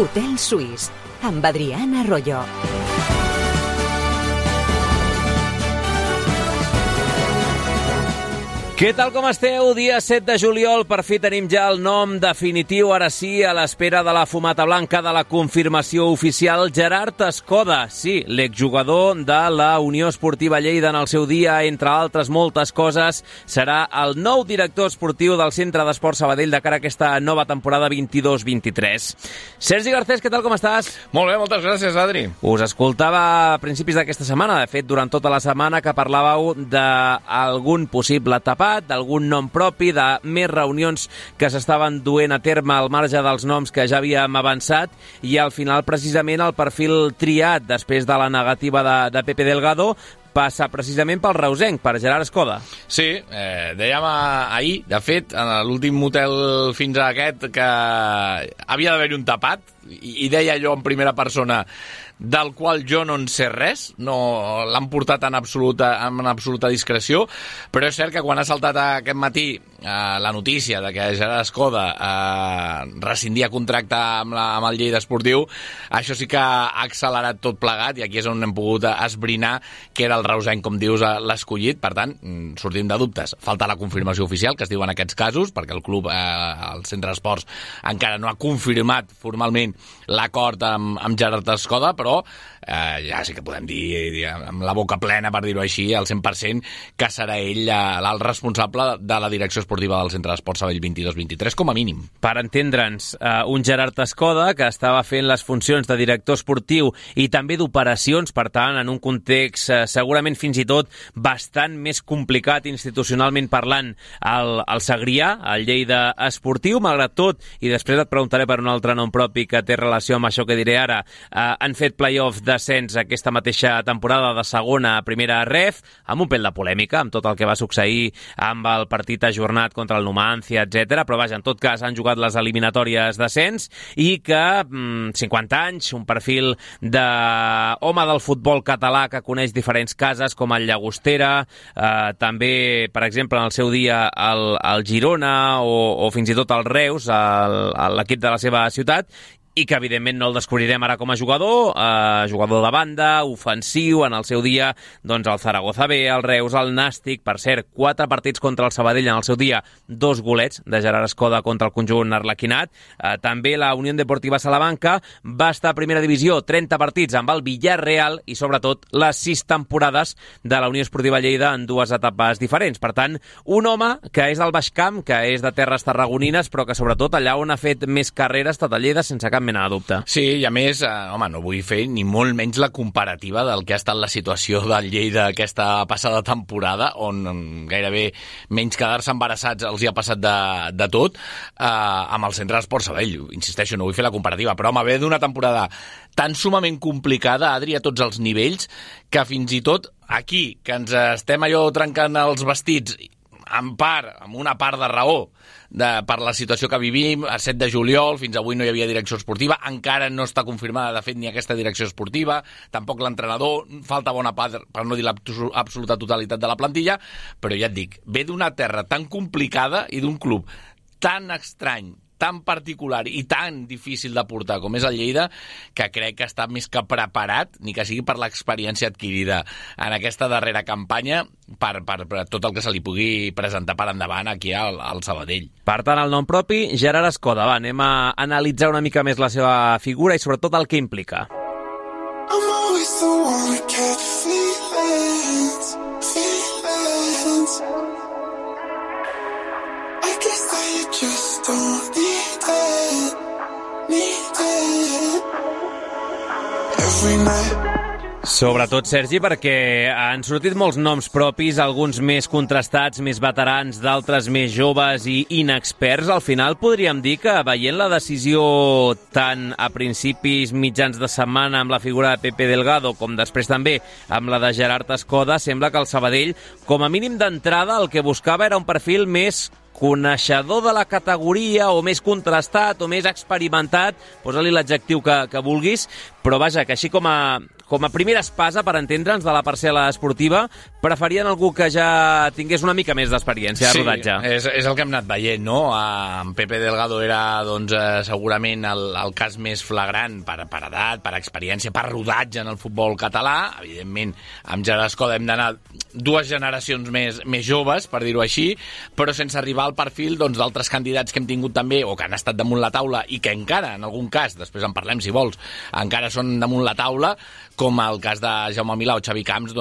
Hotel Suís, amb Adriana Arroyo. Què tal, com esteu? Dia 7 de juliol, per fi tenim ja el nom definitiu, ara sí, a l'espera de la fumata blanca de la confirmació oficial. Gerard Escoda, sí, l'exjugador de la Unió Esportiva Lleida en el seu dia, entre altres moltes coses, serà el nou director esportiu del Centre d'Esport Sabadell de cara a aquesta nova temporada 22-23. Sergi Garcés, què tal, com estàs? Molt bé, moltes gràcies, Adri. Us escoltava a principis d'aquesta setmana, de fet, durant tota la setmana, que parlàveu d'algun possible tapat, d'algun nom propi, de més reunions que s'estaven duent a terme al marge dels noms que ja havíem avançat, i al final precisament el perfil triat després de la negativa de Pepe Delgado passa precisament pel reusenc, per Gerard Escoda. Sí, dèiem ahir, de fet, en l'últim motel fins a aquest, que havia d'haver-hi un tapat, i deia jo en primera persona, del qual jo no en sé res, no l'han portat en absoluta discreció, però és cert que quan ha saltat aquest matí la notícia de que Gerard Escoda rescindia contracte amb el Lleida Esportiu, això sí que ha accelerat tot plegat, i aquí és on hem pogut esbrinar que era el reusenc, com dius, l'escollit. Per tant, sortim de dubtes. Falta la confirmació oficial, que es diu en aquests casos, perquè el club, el Centre d'Esports, encara no ha confirmat formalment l'acord amb Gerard Escoda, però ja sí que podem dir amb la boca plena, per dir-ho així, al 100%, que serà ell el responsable de la direcció esportiva del Centre d'Esports Sabadell 22-23, com a mínim. Per entendre'ns, un Gerard Escoda que estava fent les funcions de director esportiu i també d'operacions, per tant, en un context segurament fins i tot bastant més complicat institucionalment parlant al Segrià, al Lleida Esportiu. Malgrat tot, i després et preguntaré per un altre nom propi que té relació amb això que diré ara, han fet play-off d'ascens aquesta mateixa temporada de segona a primera ref, amb un pèl de polèmica, amb tot el que va succeir amb el partit ajornat contra el Numancia, etc. Però vaja, en tot cas han jugat les eliminatòries d'ascens i que 50 anys, un perfil d'home del futbol català que coneix diferents cases com el Llagostera, també, per exemple, en el seu dia el Girona o fins i tot el Reus, l'equip de la seva ciutat, i que evidentment no el descobrirem ara com a jugador de banda, ofensiu, en el seu dia doncs el Zaragoza B, el Reus, el Nàstic, per cert, 4 partits contra el Sabadell en el seu dia, 2 golets de Gerard Escoda contra el conjunt arlequinat. També la Unió Deportiva Salamanca va estar a primera divisió, 30 partits amb el Villarreal i sobretot les 6 temporades de la Unió Esportiva Lleida en 2 etapes diferents. Per tant, un home que és del Baix Camp, que és de terres tarragonines, però que sobretot allà on ha fet més carrera ha estat a Lleida sense cap mena de dubte. Sí, i a més, no vull fer ni molt menys la comparativa del que ha estat la situació del Lleida aquesta passada temporada, on gairebé menys quedar-se embarassats els hi ha passat de tot, amb el Centre d'Esport Sabadell. Insisteixo, no vull fer la comparativa, però ve d'una temporada tan sumament complicada, Adri, a tots els nivells, que fins i tot aquí, que ens estem allò trencant els vestits, amb una part de raó, per la situació que vivim, a 7 de juliol, fins avui no hi havia direcció esportiva, encara no està confirmada, de fet, ni aquesta direcció esportiva, tampoc l'entrenador, falta bona part, per no dir l'absoluta totalitat de la plantilla, però ja et dic, ve d'una terra tan complicada i d'un club tan estrany, tan particular i tan difícil de portar com és el Lleida, que crec que està més que preparat, ni que sigui per l'experiència adquirida en aquesta darrera campanya, per tot el que se li pugui presentar per endavant aquí al Sabadell. Per tant, el nom propi, Gerard Escoda. Va, anem a analitzar una mica més la seva figura i sobretot el que implica. I'm always the one to catch feelings. I guess that you just don't need it. Every night. Sobretot, Sergi, perquè han sortit molts noms propis, alguns més contrastats, més veterans, d'altres més joves i inexperts. Al final podríem dir que, veient la decisió tant a principis mitjans de setmana amb la figura de Pepe Delgado com després també amb la de Gerard Escoda, sembla que el Sabadell, com a mínim d'entrada, el que buscava era un perfil més coneixedor de la categoria o més contrastat o més experimentat, posa-li l'adjectiu que vulguis, però vaja, que així com a com a primera espasa, per entendre'ns, de la parcel·la esportiva, preferien algú que ja tingués una mica més d'experiència de rodatge. Sí, és el que hem anat veient, no? En Pepe Delgado era, doncs, segurament el cas més flagrant per edat, per experiència, per rodatge en el futbol català. Evidentment, amb Gerard Escoda hem d'anar 2 generacions més joves, per dir-ho així, però sense arribar al perfil d'altres candidats que hem tingut també, o que han estat damunt la taula, i que encara, en algun cas, després en parlem si vols, encara són damunt la taula, com el cas de Jaume Milà o Xavi Camps,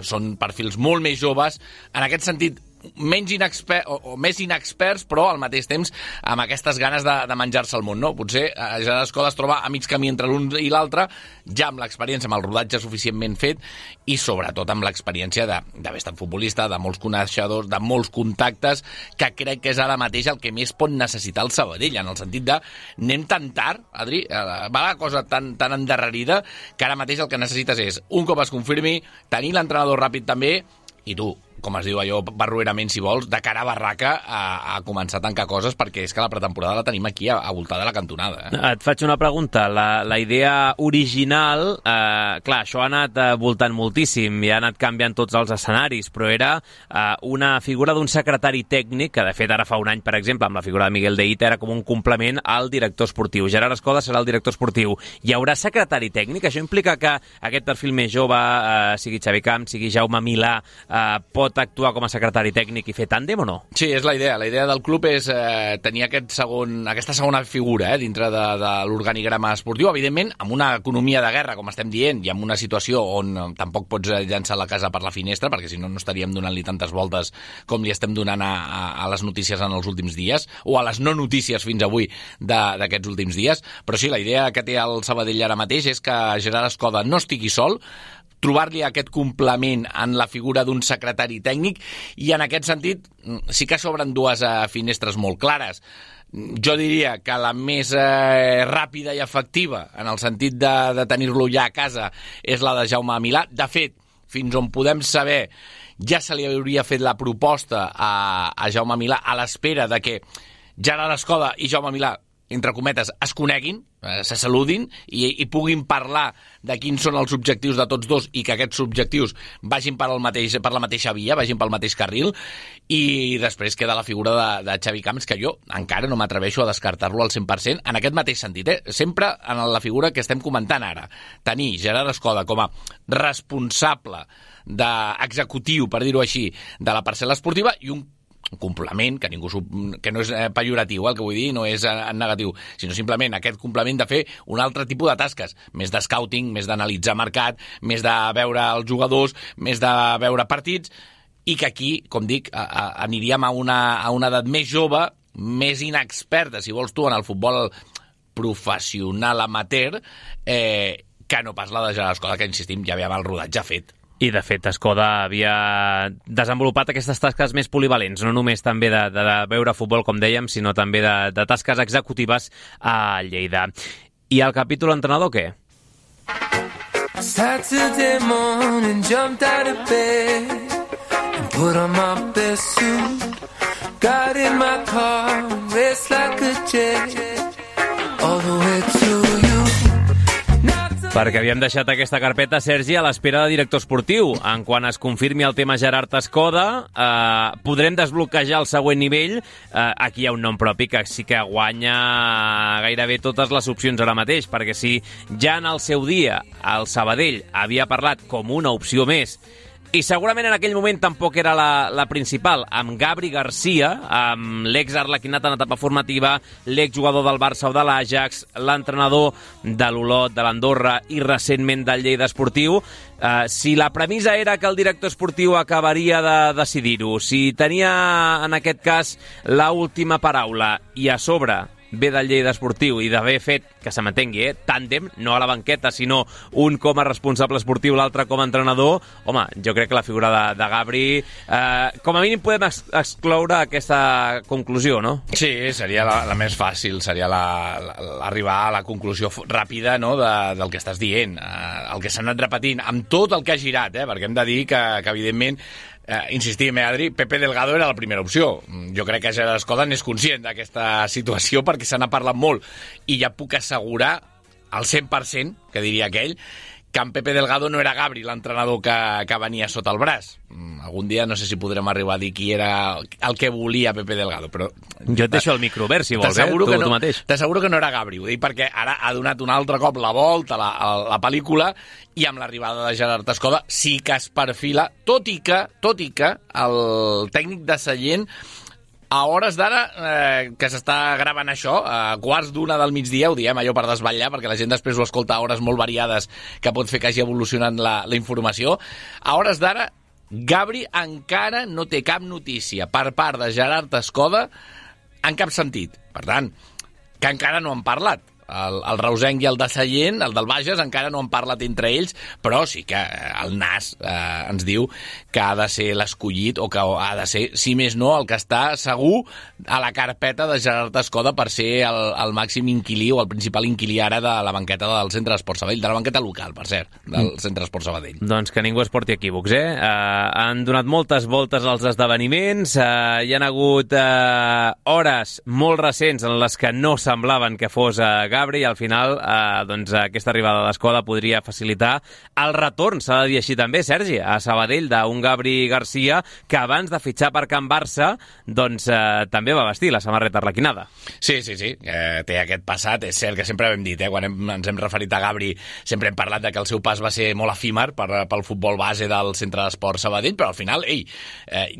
són perfils molt més joves, en aquest sentit, més inexperts, però al mateix temps amb aquestes ganes de menjar-se el món, no? Potser Gerard Escoda es troba a mig camí entre l'un i l'altre, ja amb l'experiència, amb el rodatge suficientment fet, i sobretot amb l'experiència d'haver estat futbolista, de molts coneixedors, de molts contactes, que crec que és ara mateix el que més pot necessitar el Sabadell, en el sentit de anem tan tard, Adri, va la cosa tan endarrerida, que ara mateix el que necessites és, un cop es confirmi, tenir l'entrenador ràpid també, i tu, com es diu allò, barroerament, si vols, de cara a barraca a començar a tancar coses, perquè és que la pretemporada la tenim aquí, a voltar de la cantonada. Et faig una pregunta. La idea original, clar, això ha anat voltant moltíssim i ha anat canviant tots els escenaris, però era una figura d'un secretari tècnic, que de fet ara fa un any, per exemple, amb la figura de Miguel de Ita, era com un complement al director esportiu. Gerard Escoda serà el director esportiu. Hi haurà secretari tècnic? Això implica que aquest perfil més jove, sigui Xavi Camps, sigui Jaume Milà, pot actuar com a secretari tècnic i fer tàndem o no? Sí, és la idea. La idea del club és tenir aquesta segona figura dintre de l'organigrama esportiu, evidentment amb una economia de guerra, com estem dient, i amb una situació on tampoc pots llançar la casa per la finestra, perquè si no estaríem donant-li tantes voltes com li estem donant a les notícies en els últims dies, o a les no notícies fins avui d'aquests últims dies. Però sí, la idea que té el Sabadell ara mateix és que Gerard Escoda no estigui sol, trobar-li aquest complement en la figura d'un secretari tècnic, i en aquest sentit sí que s'obren 2 finestres molt clares. Jo diria que la més ràpida i efectiva, en el sentit de tenir-lo ja a casa, és la de Jaume Milà. De fet, fins on podem saber, ja se li hauria fet la proposta a Jaume Milà a l'espera de que Gerard Escoda i Jaume Milà, entre cometes, es coneguin, se saludin i puguin parlar de quins són els objectius de tots dos, i que aquests objectius vagin per la mateixa via, vagin pel mateix carril. I després queda la figura de Xavi Camps, que jo encara no m'atreveixo a descartar-lo al 100%, en aquest mateix sentit, sempre en la figura que estem comentant ara. Tenir Gerard Escoda com a responsable executiu, per dir-ho així, de la parcel·la esportiva, i un complement, que no és pejoratiu, el que vull dir, no és en negatiu, sinó simplement aquest complement de fer un altre tipus de tasques, més de scouting, més d'analitzar mercat, més de veure els jugadors, més de veure partits, i que aquí, com dic, aniríem a una edat més jove, més inexperta, si vols tu, en el futbol professional amateur, que no pas la de Gerard Escoda, que insistim, ja ve amb el rodatge fet. I, de fet, Escoda havia desenvolupat aquestes tasques més polivalents, no només també de veure futbol, com dèiem, sinó també de tasques executives a Lleida. I el capítol entrenador, què? Saturday morning, jumped out of bed and put on my best suit, got in my car, raced like a jet all the way to you. Perquè havíem deixat aquesta carpeta, Sergi, a l'espera de director esportiu. En quan es confirmi el tema Gerard Escoda, podrem desbloquejar el següent nivell. Aquí hi ha un nom propi que sí que guanya gairebé totes les opcions ara mateix, perquè si ja en el seu dia el Sabadell havia parlat com una opció més, i segurament en aquell moment tampoc era la principal, amb Gabri Garcia, amb l'ex-arlequinat en etapa formativa, l'exjugador del Barça o de l'Ajax, l'entrenador de l'Olot, de l'Andorra i recentment del Lleida Esportiu. Si la premissa era que el director esportiu acabaria de decidir-ho, si tenia en aquest cas l'última paraula, i a sobre ve del Lleida Esportiu i d'haver fet, que se m'entengui, tàndem, no a la banqueta, sinó un com a responsable esportiu, l'altre com a entrenador, home, jo crec que la figura de Gabri, com a mínim podem excloure aquesta conclusió, no? Sí, seria la més fàcil, seria arribar a la conclusió ràpida, no?, del que estàs dient, el que s'ha anat repetint, amb tot el que ha girat, perquè hem de dir que evidentment, insistim, Adri, Pepe Delgado era la primera opció. Jo crec que Gerard Escoda n'és conscient d'aquesta situació perquè se n'ha parlat molt, i ja puc assegurar al 100%, que diria aquell, que en Pepe Delgado no era Gabri l'entrenador que venia sota el braç. Algun dia no sé si podrem arribar a dir qui era el que volia Pepe Delgado, però... Jo et deixo el micro obert, si vols, tu mateix. T'asseguro que no era Gabri, ho dic perquè ara ha donat un altre cop la volta a la pel·lícula i amb l'arribada de Gerard Escoda sí que es perfila, tot i que el tècnic de Sallent a hores d'ara, que s'està gravant això, a quarts d'una del migdia, ho diem allò per desvetllar, perquè la gent després ho escolta a hores molt variades que pot fer que hagi evolucionat la informació. A hores d'ara, Gabri encara no té cap notícia per part de Gerard Escoda en cap sentit. Per tant, que encara no han parlat. El reusenc i el de Sallent, el del Bages, encara no han parlat entre ells, però sí que el NAS ens diu que ha de ser l'escollit o que ha de ser, si més no, el que està segur a la carpeta de Gerard Escoda per ser el màxim inquilí o el principal inquilí ara de la banqueta del Centre d'Esport Sabadell, de la banqueta local, per cert, del Centre d'Esport Sabadell. Doncs que ningú es porti equívocs, han donat moltes voltes als esdeveniments, hi han hagut hores molt recents en les que no semblaven que fos Gabri, i al final doncs, aquesta arribada d'Escoda podria facilitar el retorn, s'ha de dir així també, Sergi, a Sabadell d'un Gabri Garcia que abans de fitxar per Can Barça doncs, també va vestir la samarreta arlequinada. Sí, té aquest passat, és cert que sempre ho hem dit, quan ens hem referit a Gabri sempre hem parlat de que el seu pas va ser molt efímer pel futbol base del Centre d'Esport Sabadell, però al final, hi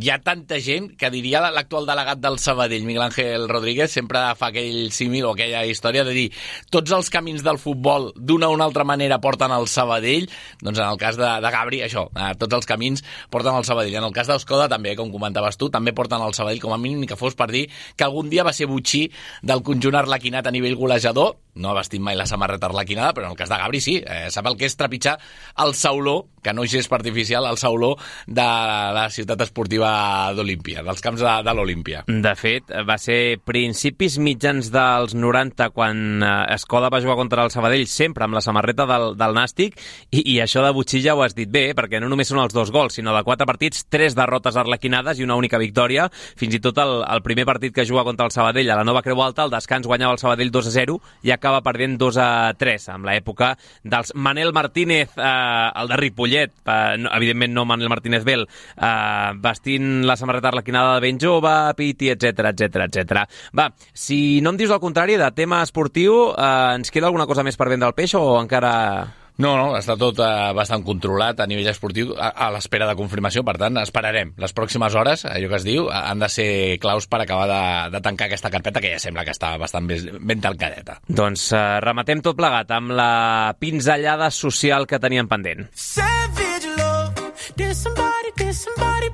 ha tanta gent que diria l'actual delegat del Sabadell, Miguel Ángel Rodríguez, sempre fa aquell símil o aquella història de dir tots els camins del futbol d'una o una altra manera porten al Sabadell, doncs en el cas de Gabri, això, tots els camins porten al Sabadell. En el cas d'Escoda també, com comentaves tu, també porten al Sabadell, com a mínim, ni que fos per dir que algun dia va ser botxí del conjunt arlequinat a nivell golejador, no ha vestit mai la samarreta arlequinada, però en el cas de Gabri sí, sap el que és trepitjar el sauló, que no és artificial, el sauló de la ciutat esportiva d'Olímpia, dels camps de l'Olímpia. De fet, va ser principis mitjans dels 90 quan Escoda va jugar contra el Sabadell sempre amb la samarreta del Nàstic i això de botxí ja ho has dit bé, perquè no només són els 2 gols, sinó de 4 partits, 3 derrotes arlequinades i una única victòria. Fins i tot el primer partit que juga contra el Sabadell a la Nova Creu Alta, el descans guanyava el Sabadell 2-0 i acaba perdent 2-3, amb l'època dels Manel Martínez, el de Ripollet, evidentment no Manel Martínez Bel, vestint la samarreta arlequinada de ben jove, Piti, etc. Va, si no em dius el contrari de tema esportiu, ens queda alguna cosa més per vendre el peix o encara... No, està tot bastant controlat a nivell esportiu a l'espera de confirmació, per tant, esperarem. Les pròximes hores, allò que es diu, han de ser claus per acabar de tancar aquesta carpeta, que ja sembla que està bastant ben tancadeta. Doncs rematem tot plegat amb la pinzellada social que teníem pendent. Savage love, did somebody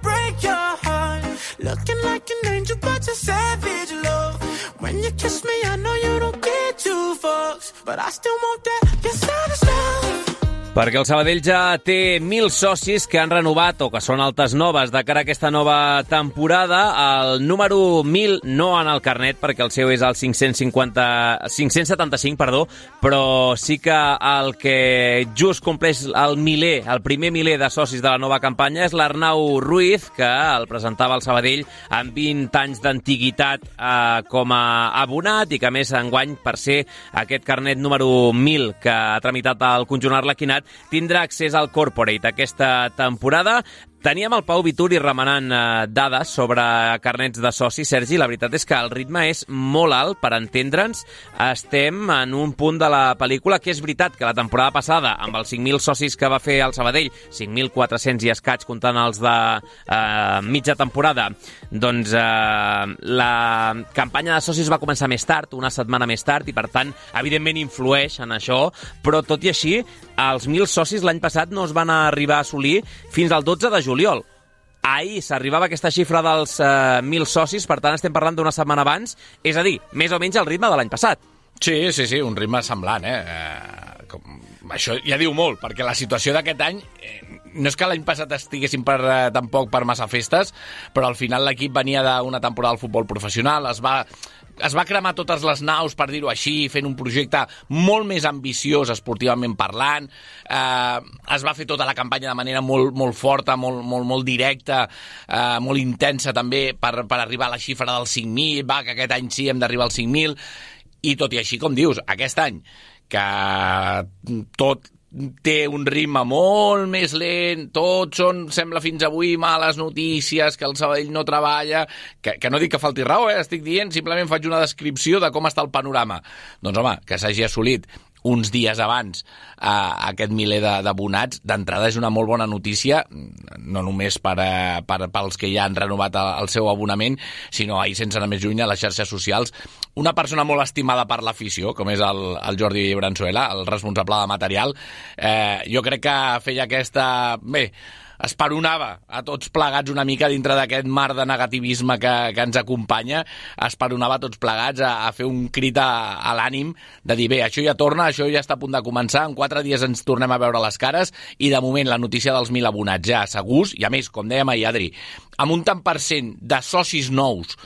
break your heart? Looking like an angel, but you're savage love. When you kiss me, I know you don't get 2 fucks, but I still want that, you're savage love. Perquè el Sabadell ja té 1.000 socis que han renovat o que són altes noves de cara a aquesta nova temporada. El número 1.000 no en el carnet, perquè el seu és el 575, però sí que el que just compleix el primer miler de socis de la nova campanya és l'Arnau Ruiz, que el presentava el Sabadell amb 20 anys d'antiguitat com a abonat i que a més enguany, per ser aquest carnet número 1.000 que ha tramitat el conjunt arlequinat, tindrà accés al Corporate aquesta temporada. Teníem el Pau Vituri remenant dades sobre carnets de socis. Sergi, la veritat és que el ritme és molt alt, per entendre'ns. Estem en un punt de la pel·lícula que és veritat que la temporada passada, amb els 5.000 socis que va fer el Sabadell, 5.400 i escaig comptant els de mitja temporada, doncs la campanya de socis va començar més tard, una setmana més tard, i per tant, evidentment influeix en això, però tot i així, els 1.000 socis l'any passat no es van arribar a assolir fins al 12 de juliol. Ahir s'arribava aquesta xifra dels 1.000 socis, per tant estem parlant d'una setmana abans, és a dir, més o menys el ritme de l'any passat. Sí, un ritme semblant, Això ja diu molt, perquè la situació d'aquest any, no és que l'any passat estiguessin tampoc per massa festes, però al final l'equip venia d'una temporada del futbol professional, es va cremar totes les naus, per dir-ho així, fent un projecte molt més ambiciós esportivament parlant, es va fer tota la campanya de manera molt, molt forta, molt directa, molt intensa també per arribar a la xifra dels 5.000, que aquest any sí hem d'arribar als 5.000, i tot i així, com dius, aquest any, que tot té un ritme molt més lent, tot són, sembla fins avui, males notícies, que el Sabadell no treballa, que no dic que falti raó, estic dient, simplement faig una descripció de com està el panorama. Doncs home, que s'hagi assolit uns dies abans aquest miler d'abonats, d'entrada és una molt bona notícia, no només pels que ja han renovat el seu abonament, sinó ahir, sense anar més lluny, a les xarxes socials. Una persona molt estimada per l'afició, com és el Jordi Branzuela, el responsable de material, jo crec que feia aquesta... Bé, esperonava a tots plegats una mica dintre d'aquest mar de negativisme que ens acompanya, esperonava a tots plegats a fer un crit a l'ànim de dir, bé, això ja torna, això ja està a punt de començar, en 4 dies ens tornem a veure les cares, i de moment la notícia dels 1.000 abonats ja segurs, i a més, com dèiem ahir, Adri, amb un tant % de socis nous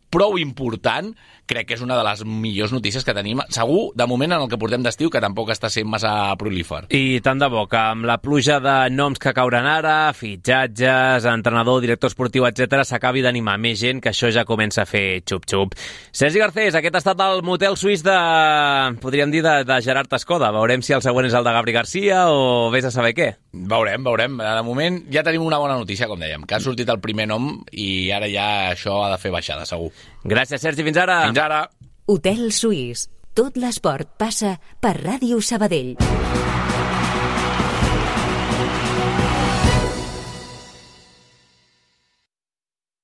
prou important, crec que és una de les millors notícies que tenim, segur, de moment en el que portem d'estiu, que tampoc està sent massa prolífer. I tant de bo, que amb la pluja de noms que cauran ara, fitxatges, entrenador, director esportiu, etc, s'acabi d'animar més gent, que això ja comença a fer xup-xup. Sergi Garcés, aquest ha estat el motel suís podríem dir, de Gerard Escoda. Veurem si el següent és el de Gabri Garcia o vés a saber què. Veurem. De moment ja tenim una bona notícia, com dèiem, que ha sortit el primer nom i ara ja això ha de fer baixada, segur. Gràcies, Sergi. Fins ara. Fins ara. Hotel Suís. Tot l'esport passa per Ràdio Sabadell.